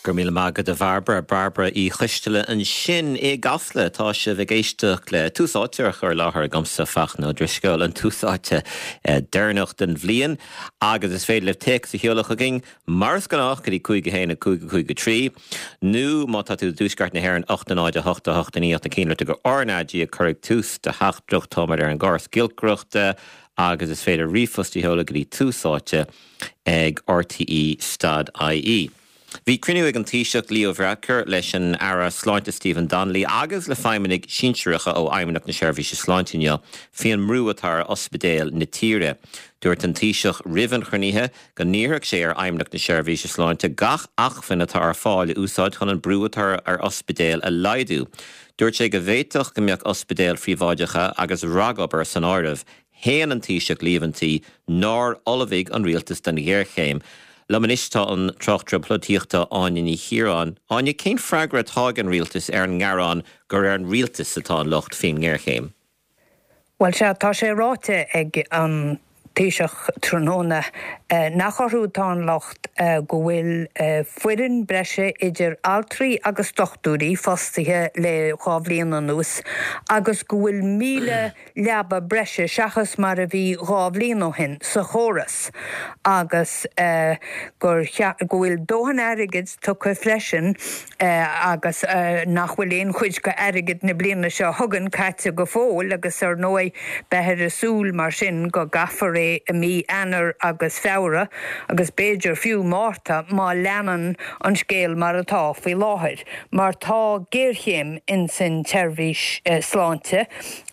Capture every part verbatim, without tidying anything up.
Gur míle maith agat a Bhairbre Bairbre Uí Choisteala ansin i gCasla tá sibh ag éisteacht le Tús Áite á chur i láthair agamsa Fachtna Ó Drisceoil an Tús Áite eh, deireanach den bhliain agus is féidir libh téacs a sheoladh chugainn mar is gnách go dtí cúig a haon a cúig a cúig a trí, nó má tá tú i dtuaisceart na hÉireann ocht a náid a hocht a hocht a naoi na cínle go R na G ag cur tús de theachtaireacht táimid ar an gcóras giolcaireachta agus is féidir ríomhphost a sheoladh go dtí Tús Áite ag RTE stad IE. Bhí cruinniú ag an Taoiseach Leo Varadkar leis an Aire Sláinte Stephen Donnelly agus le feidhmeannaigh sinsearacha ó Fheidhmeannacht na Seirbhíse Sláinte inniu faoin mbrú atá ar ospidéil na tíre. Dúirt an Taoiseach roimh an chruinniú go n-iarrfadh sé ar Fheidhmeannacht na Seirbhíse Sláinte gach acmhainn atá ar fáil a úsáid chun an brú atá ar ospidéil a laghdú. Dúirt sé go bhféadfadh go mbeadh ospidéil phríobháideacha agus ragobair san áireamh. Shéan an Taoiseach líomhaintí nár ullmhaigh an rialtas don ghéarchéim. Liom anois tá an tráchtaire polaitíochta Áine Ní Chiaráin. Áine cén freagra atá ag an rialtas ar an ngearán gur ar an rialtas atá an locht faoin ngéarchéim. Well sé tá sé ráite ag an Taoiseach tráthnóna eh, nach orthu atá an locht eh, go bhfuil eh, foireann breise idir altraí agus dochtúirí fostaithe le dhá bhliain anuas agus go bhfuil míle leaba breise seachas mar a bhí dhá bhliain ó shin sa chóras agus uh, gur go bhfuil dóthain airgid tugtha freisin uh, agus uh, nach bhfuil aon chuid de airgead na bliana seo chugainn caite go fóill agus ar ndóigh beifear ag súil mar sin go gcaithfear é i mí Eanáir agus Feabhra agus b'fhéidir fiú Márta má leanann an scéal mar atá faoi láthair, mar tá géarchéim in san tseirbhís uh, sláinte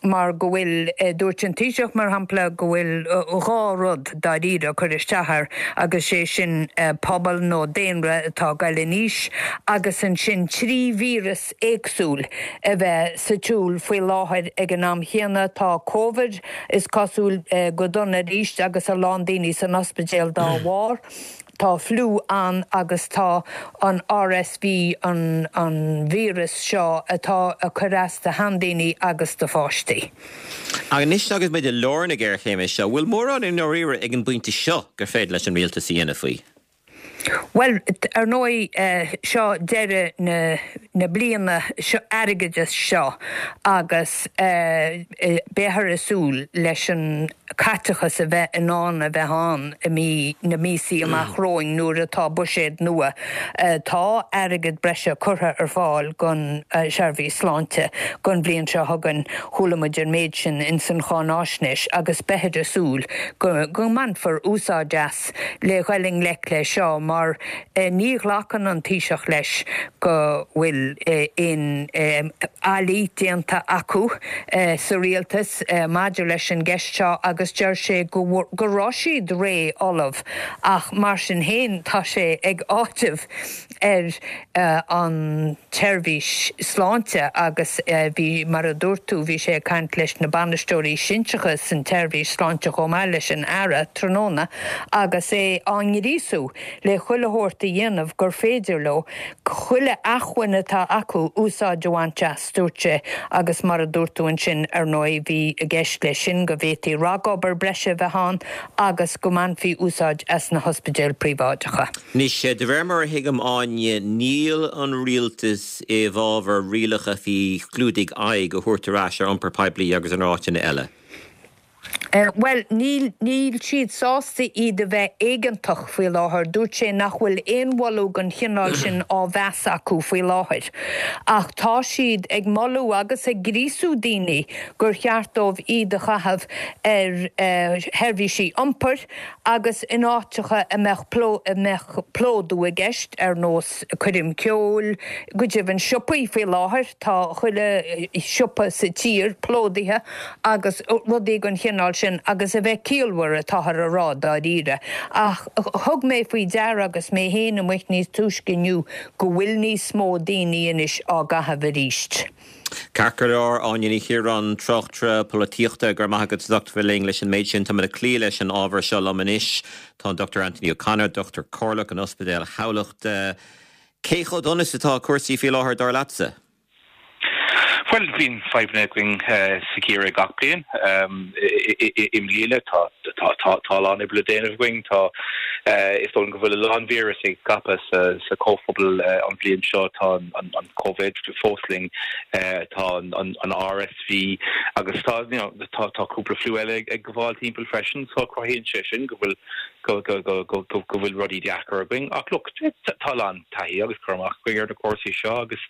mar go bhfuil uh, dúirt an Taoiseach mar shampla go bhfuil uh, dhá rud dáiríre ag cur isteach air agus sé sin uh, pobal nó daonra atá ag dul in aois agus ansin trí víreas éagsúil a bheith sa tsiúl faoi láthair ag an am chéanna tá COVID is cosúil uh, go dona arís agus a lán daoine san ospidéal dá bharr. Tá fliú ann agus tá an RSV an, an víreas seo atá ag cur as do sheandaoine agus do pháistí. Anois agus muid i lár na géarchéime seo, bhfuil mórán i ndáiríre ag an bpointe seo gur féidir leis an rialtas a dhéanamh faoi. Well ar ndóigh uh, seo deireadh na, na bliana seo airgeadais seo agus uh, beifear ag súil leis an caiteachas a bheith in ann a bheith ann i mí na míosa amach romhainn nuair atá buiséad nua. Uh, tá airgead breise curtha ar fáil don uh, seirbhís sláinte don bhliain seo chugainn chuala muid an méid sin in san cháinaisnéis agus beifear ag súil go, go mbainfear úsáid as le dhul i ngleic le seo mar eh, ní ghlacann an Taoiseach leis go bhfuil eh, in eh, fhaillí déanta acu eh, sa rialtas eh, maidir leis an gceist seo agus deir sé go go raibh siad réidh ullamh ach mar sin féin tá sé ag áiteamh ar uh, an tseirbhís sláinte agus uh, bhí mar a dúirt tú bhí sé ag caint leis na bainisteoirí sinsearacha san tseirbhís sláinte chomh maith leis an Aire tráthnóna agus é á ngríosú le chuile shórt a dhéanamh gur féidir leo chuile acmhainn atá acu úsáid a bhaint as dúirt sé agus mar a dúirt tú ansin ar ndóigh bhí i gceist leis sin go bhféadfaí ragobair breise bheith ann agus go mbainfí úsáid as na hospidéil phríobháideacha. Anois de réir mar a thuigim Áine níl an rialtas i bhfabhar rialacha faoi chlúdaigh aghaidh a thabhairt ar ais ar iompar poiblí agus in áiteanna eile. Uh, well níl níl siad sásta iad a bheith éigeantach faoi láthair, dúirt sé nach bhfuil aon mholadh den chineál sin á mheas acu faoi láthair. Ach tá siad ag moladh agus ag gríosú daoine gur cheart dóibh iad a chaitheamh ar uh, sheirbhísí iompair agus in áiteacha a mbeadh a mbeadh plódú i gceist ar nós coirm ceoil, go deimhin siopaí faoi láthair tá chuile siopa sa tír plódaithe agus rudaí den chineál sin agus a bheith ciallmhar atáthar á rá dáiríre. Ach thug mé faoi deara agus mé féin amuigh níos túisce inniu go bhfuil níos mó daoine anois á gcaitheamh arís. Ceart go leor Áine Ní Chiaráin tráchtaire polaitíochta gur maith go docht ling leis an méid sin tá le clí leis an ábhar seo liom anois tá Dr. Anthony O'Connor, Dr. Corlach an Ospidéal Thamhlachta. Cé chomh dona is atá cúrsaí faoi láthair dar leatsa? Well bíonn fadhbanna againn sa gheimhreadh gach bliain i mbliana tá tá lán oibre le déanamh againn tá is dóigh go bhfuil a lán víreas ag scaipeadh sa sa comhphobal an bhliain seo tá an an COVID fós linn tá an an RSV agus tá you know, tá tá cúpla fliú eile ag gabháil timpeall freisin so cruthaíonn sé sin go bhfuil go go go go go go bhfuil rudaí deacair againn ach look tá lán taithí agus cur amach againn ar na cúrsaí seo agus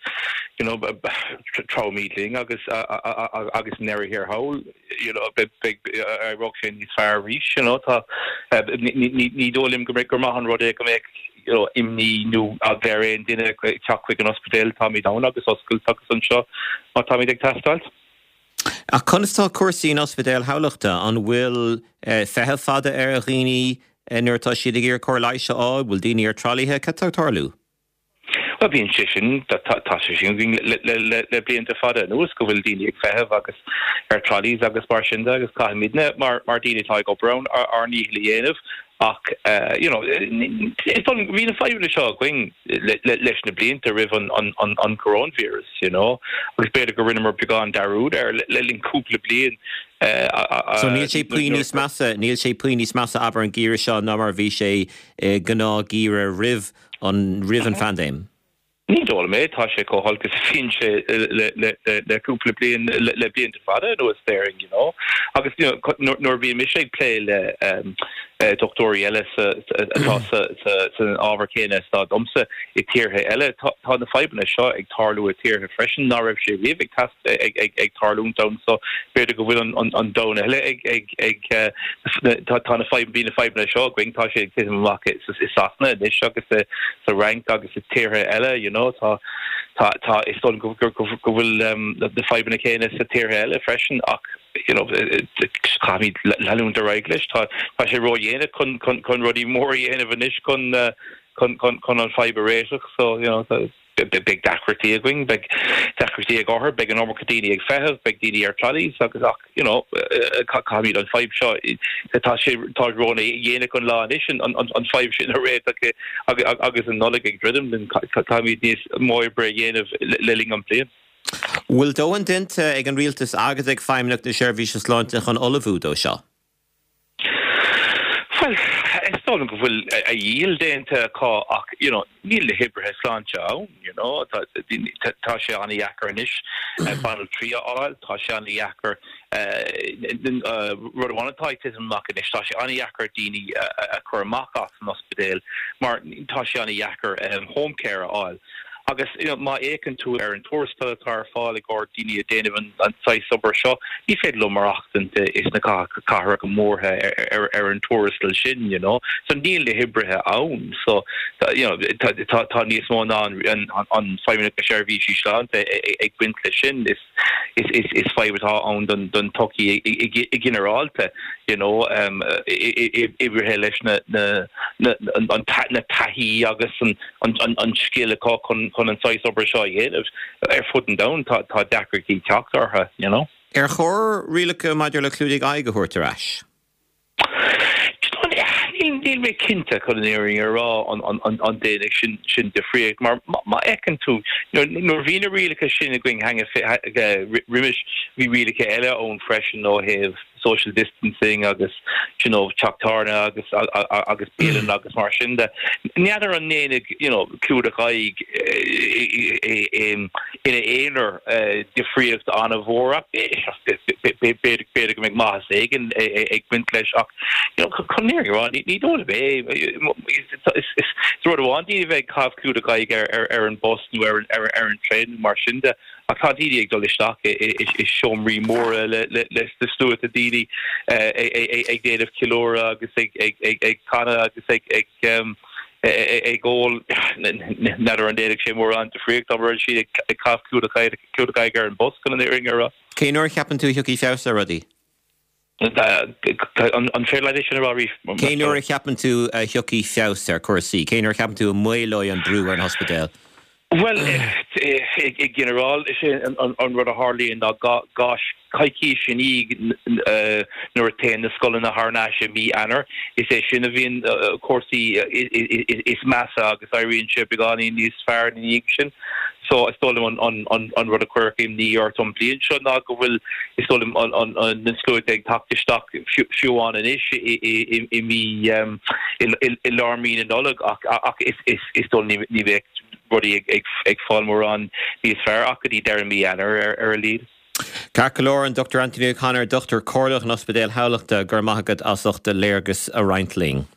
you know treabhfaimid linn agus agus ndeireadh thiar thall you know beidh éireoidh sé níos fearr arís you know tá ní dóigh liom go gur maith an rud é go mbeadh you know imní nó eagla ar aon duine teacht chuig an ospidéal táimid ann agus oscailte agus anseo má táimid ag teastáil. Ach conas tá cúrsaí in ospidéal Thamhlachta an bhfuil feitheamh fada ar dhaoine nuair atá siad ag iarraidh cóir leighis a fháil, bhfuil daoine ar tralaithe cad tá ag tarlú? Well bíonn sé sin tá sé sin le blianta fada anuas go bhfuil daoine ag feitheamh agus ar trolleys agus mar sin de agus caithfimidne mar mar daoine atá ag obair ann ár ndícheall a dhéanamh ach you know bhí na fadhbanna seo againn leis na blianta roimh an an an an coronavirus you know agus b'fhéidir go rinneamar beagán dearúd air le linn cúpla bliain So níl sé puinn níos measa, níl sé puinn níos measa abair an geimhreadh seo ná mar bhí sé gnáthgheimhreadh roimh an roimh an phaindéim. Ní dóigh liom é tá sé chomh holc is a bhí sé le le cúpla bliain le blianta fada anuas déarfainn you know agus you know nuair bhí mise ag plé le um, dochtúirí eile atá san ábhar céanna atá domsa i tíortha eile tá na fadhbanna seo ag tarlú i tíortha freisin ná raibh sé riamh ag ag tarlúint ann so b'fhéidir go bhfuil an domhan eile ag ag ag tá na bhí na fadhbanna seo againn tá sé ag titim amach i Sasana anois agus sa Fhrainc agus i tíortha eile you know tá tá tá is dóigh go bhfuil na fadhbanna céanna sa tíortha eile freisin ach you know caithfimid leanúint ar aghaidh leis tá tá sé ródhéanach chun chun chun rudaí mór a dhéanamh anois chun chun chun chun an fadhb a réiteach so you know beidh deacrachtaí againn beidh deacrachtaí ag othair beidh an iomarca daoine ag feitheamh beidh daoine ar trolleys agus ach you know caithfimid an fadhb seo tá sé tá ródhéanach an lá anois an an fadhb sin a réiteach agus an Nollaig ag druidim linn caithfimid níos mó oibre a dhéanamh le linn an bliain. Bhfuil dóthain déanta ag an rialtas agus ag Feidhmeannacht na Seirbhíse Sláinte chun ullmhú dó seo? Well, is dóigh go bhfuil a dhícheall déanta acu ach you know, níl na hoibrithe sláinte ann you know, tá tá sé an-deacair anois banaltraí a fháil, tá sé an-deacair rud amháin atá ag titim amach anois, tá sé an-deacair daoine a chur amach as an ospidéal mar tá sé an-deacair um, home care a fháil. Agus you know, má fhéachann tú ar an tuarastal atá ar fáil ag daoine a dhéanamh an, an saghas obair seo, ní féidir leo maireachtaint is na cathracha móra ar, ar, ar an tuarastal sin, you know. So níl na hoibrithe ann, so you know, tá, tá, tá níos mó ná an, an, an Feidhmeannacht na Seirbhísí Sláinte ag baint leis sin is is, is, is fadhb atá ann don, don tsochaí i ginearálta, you know, um, oibrithe leis na, na, na, an, na taithí agus an, an, an, an scil acu chun chun an saghas obair seo a dhéanamh ar fud an domhain tá tá deacrachtaí teacht orthu, you know. Ar chóir rialacha maidir le clúdaigh aghaidh a thabhairt ar ais? Níl mé cinnte chun an fhírinne a rá an an ndéanfaidh sin sin difríocht mar má fheiceann tú nuair bhí na rialacha sin againn roimis bhí rialacha eile ann freisin ó thaobh social distancing agus you know teach tábhairne agus agus bialann agus mar sin de. N'fheadar an ndéanfaidh you know clúdach aghaidh ina aonar difríocht an-mhór b'fhéidir go mbeidh maitheas éigin ag baint leis ach you know chun an fhírinne a rá ní dóigh liom é is rud amháin daoine bheith ag caitheamh clúdach aghaidh ar ar an bus nó ar ar ar an traein mar sin de ach tá daoine ag dul isteach i seomraí móra le le le sluaite daoine ag déanamh ceiliúradh agus ag ag ag ag canadh agus ag ag ag ól n'fheadar an ndéanfaidh sé mórán difríocht dá mbeadh siad ag caitheamh clúdach clúdach aghaidh ar an bus chun an fhírinne a rá. Cén uair a cheapann tú a thiocfaidh feabhas ar rudaí? An féidir leat é sin a rá arís? Cén uair a cheapann tú a thiocfaidh feabhas ar chúrsaí? Cén uair a cheapann tú a maolóidh an brú ar an ospidéal? Well i ginearál is é an rud a tharlaíonn ná gá coicís i ndiaidh nuair a théann na scoileanna thar n-ais i mí Eanáir is é sin a bhíonn cúrsaí is measa agus éiríonn sé beagáinín níos fearr ina dhiaidh sin. So is dóigh liom an, an, an rud a chuirfeadh imní ort an bhliain seo ná go bhfuil is dóigh liom an, an, an, na sluaite ag teacht isteach fiú amháin anois i mí i lár mí na Nollag ach, ach is, is, is dóigh ní, ní bheidh rudaí ag, ag, ag fáil mórán níos fearr ach go dtí deireadh mí Eanáir ar, ar a laghad. Ceart go leor an Dr Anthony O'Connor, Dochtúir Comhairleach in Ospidéal Thamhlachta go raibh maith agat as ucht léargas a roinnt linn.